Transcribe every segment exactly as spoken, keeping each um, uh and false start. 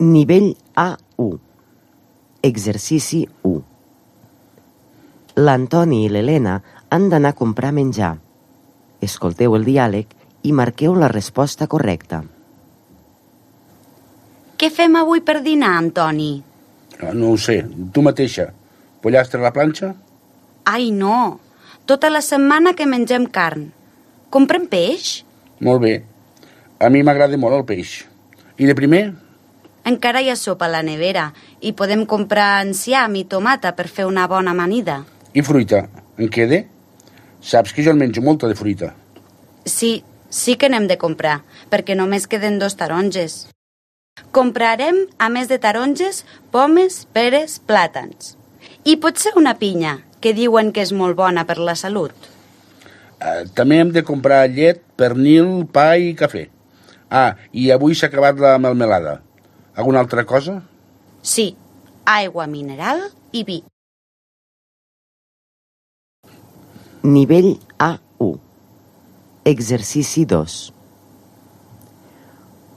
Nivell A u. Exercici u. L'Antoni i l'Helena han d'anar a comprar menjar. Escolteu el diàleg i marqueu la resposta correcta. Què fem avui per dinar, Antoni? No ho sé, tu mateixa. Pollastre a la planxa? Ai, no. Tota la setmana que mengem carn. Comprem peix? Molt bé. A mi m'agrada molt el peix. I de primer? Encara hi ha sopa a la nevera i podem comprar enciam i tomata per fer una bona amanida. I fruita, en queda? Saps que jo en menjo molta de fruita. Sí, sí que n'hem de comprar, perquè només queden dos taronges. Comprarem, a més de taronges, pomes, peres, plàtans. I potser una pinya, que diuen que és molt bona per la salut. Uh, també hem de comprar llet, pernil, pa i cafè. Ah, i avui s'ha acabat la melmelada. Alguna altra cosa? Sí, aigua mineral i vi. Nivell A u. Exercici dos.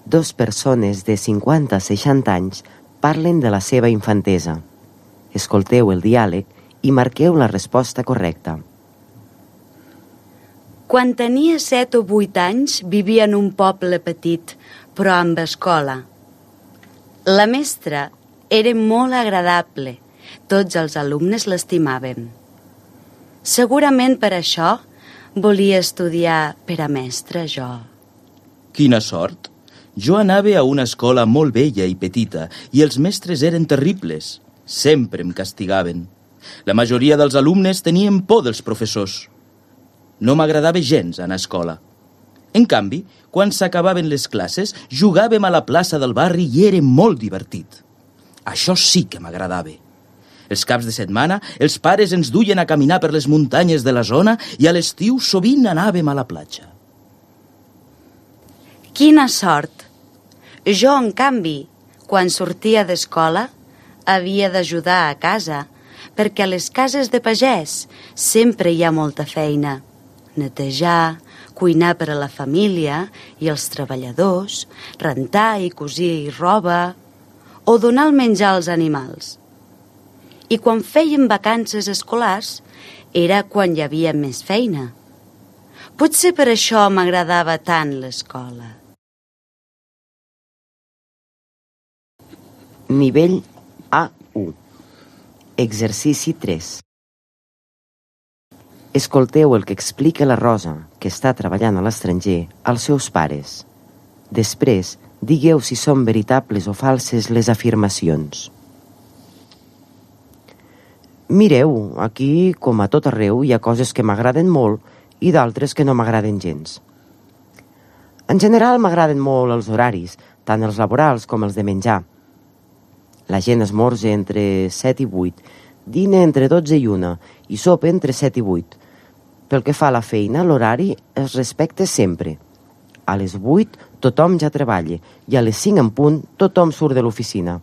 Dos persones de cinquanta a seixanta anys parlen de la seva infantesa. Escolteu el diàleg i marqueu la resposta correcta. Quan tenia set o vuit anys vivia en un poble petit, però amb escola. La mestra era molt agradable. Tots els alumnes l'estimaven. Segurament per això volia estudiar per a mestra jo. Quina sort! Jo anava a una escola molt vella i petita i els mestres eren terribles. Sempre em castigaven. La majoria dels alumnes tenien por dels professors. No m'agradava gens anar a escola. En canvi, quan s'acabaven les classes, jugàvem a la plaça del barri i era molt divertit. Això sí que m'agradava. Els caps de setmana, els pares ens duien a caminar per les muntanyes de la zona i a l'estiu sovint anàvem a la platja. Quina sort! Jo, en canvi, quan sortia d'escola, havia d'ajudar a casa, perquè a les cases de pagès sempre hi ha molta feina. Netejar, cuinar per a la família i els treballadors, rentar i cosir roba, o donar el menjar als animals. I quan fèiem vacances escolars, era quan hi havia més feina. Potser per això m'agradava tant l'escola. Nivell A u. Exercici tres. Escolteu el que explica la Rosa, que està treballant a l'estranger, als seus pares. Després, digueu si són veritables o falses les afirmacions. Mireu, aquí, com a tot arreu, hi ha coses que m'agraden molt i d'altres que no m'agraden gens. En general m'agraden molt els horaris, tant els laborals com els de menjar. La gent esmorza entre set i vuit, dina entre dotze i una i sopa entre set i vuit. Pel que fa a la feina, l'horari es respecta sempre. A les vuit tothom ja treballa i a les cinc en punt tothom surt de l'oficina.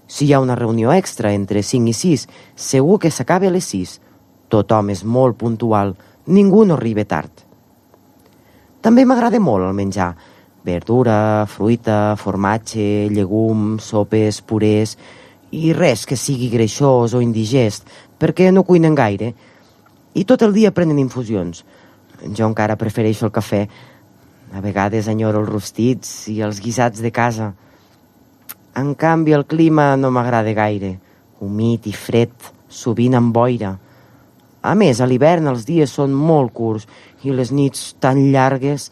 Si hi ha una reunió extra entre cinc i sis, segur que s'acaba a les sis. Tothom és molt puntual, ningú no arriba tard. També m'agrada molt el menjar. Verdura, fruita, formatge, llegums, sopes, purés i res que sigui greixós o indigest, perquè no cuinen gaire. I tot el dia prenen infusions. Jo encara prefereixo el cafè. A vegades enyoro els rostits i els guisats de casa. En canvi, el clima no m'agrada gaire. Humit i fred, sovint amb boira. A més, a l'hivern els dies són molt curts i les nits tan llargues.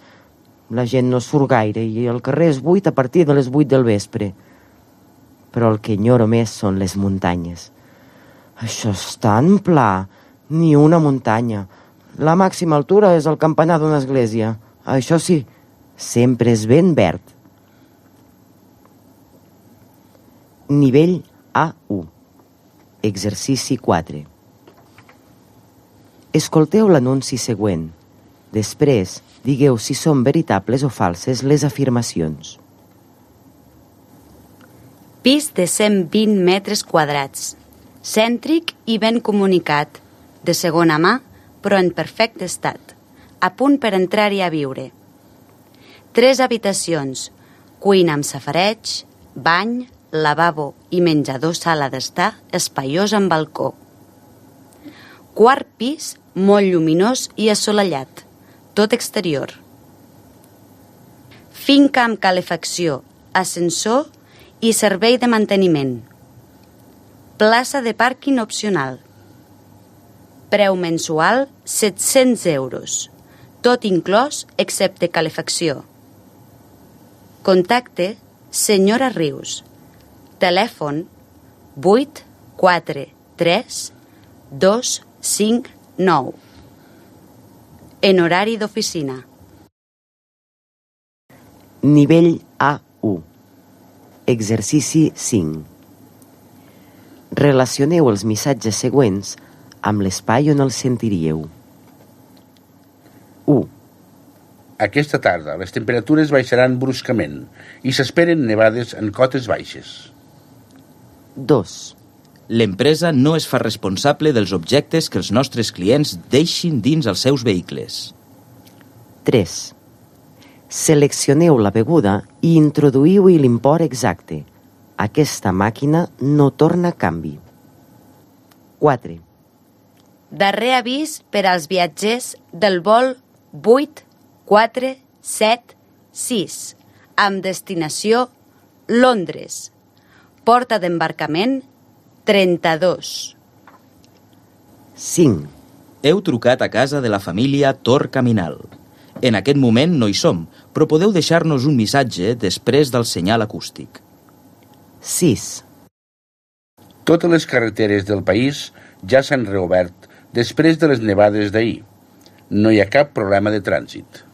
La gent no surt gaire i el carrer és buit a partir de les vuit del vespre. Però el que enyoro més són les muntanyes. Això és tan pla, ni una muntanya. La màxima altura és el campanar d'una església. Això sí, sempre és ben verd. Nivell A u. Exercici quatre. Escolteu l'anunci següent. Després, digueu si són veritables o falses les afirmacions. Pis de cent vint metres quadrats, cèntric i ben comunicat, de segona mà, però en perfecte estat, a punt per entrar-hi a viure. Tres habitacions, cuina amb safareig, bany, lavabo i menjador sala d'estar espaiós amb balcó. Quart pis, molt lluminós i assolellat, tot exterior. Finca amb calefacció, ascensor i servei de manteniment. Plaça de pàrquing opcional. Preu mensual set-cents euros, tot inclòs excepte calefacció. Contacte senyora Rius. Telèfon vuit quatre tres dos cinc nou. En horari d'oficina. Nivell A u. Exercici cinc. Relacioneu els missatges següents amb l'espai on els sentiríeu. u. Aquesta tarda les temperatures baixaran bruscament i s'esperen nevades en cotes baixes. dos. L'empresa no es fa responsable dels objectes que els nostres clients deixin dins els seus vehicles. tres. Seleccioneu la beguda i introduïu-hi l'import exacte. Aquesta màquina no torna a canvi. quatre. Darrer avís per als viatgers del vol vuit quatre set sis amb destinació Londres. Porta d'embarcament trenta-dos. cinc. Heu trucat a casa de la família Tor Caminal. En aquest moment no hi som, però podeu deixar-nos un missatge després del senyal acústic. sis. Totes les carreteres del país ja s'han reobert després de les nevades d'ahir. No hi ha cap problema de trànsit.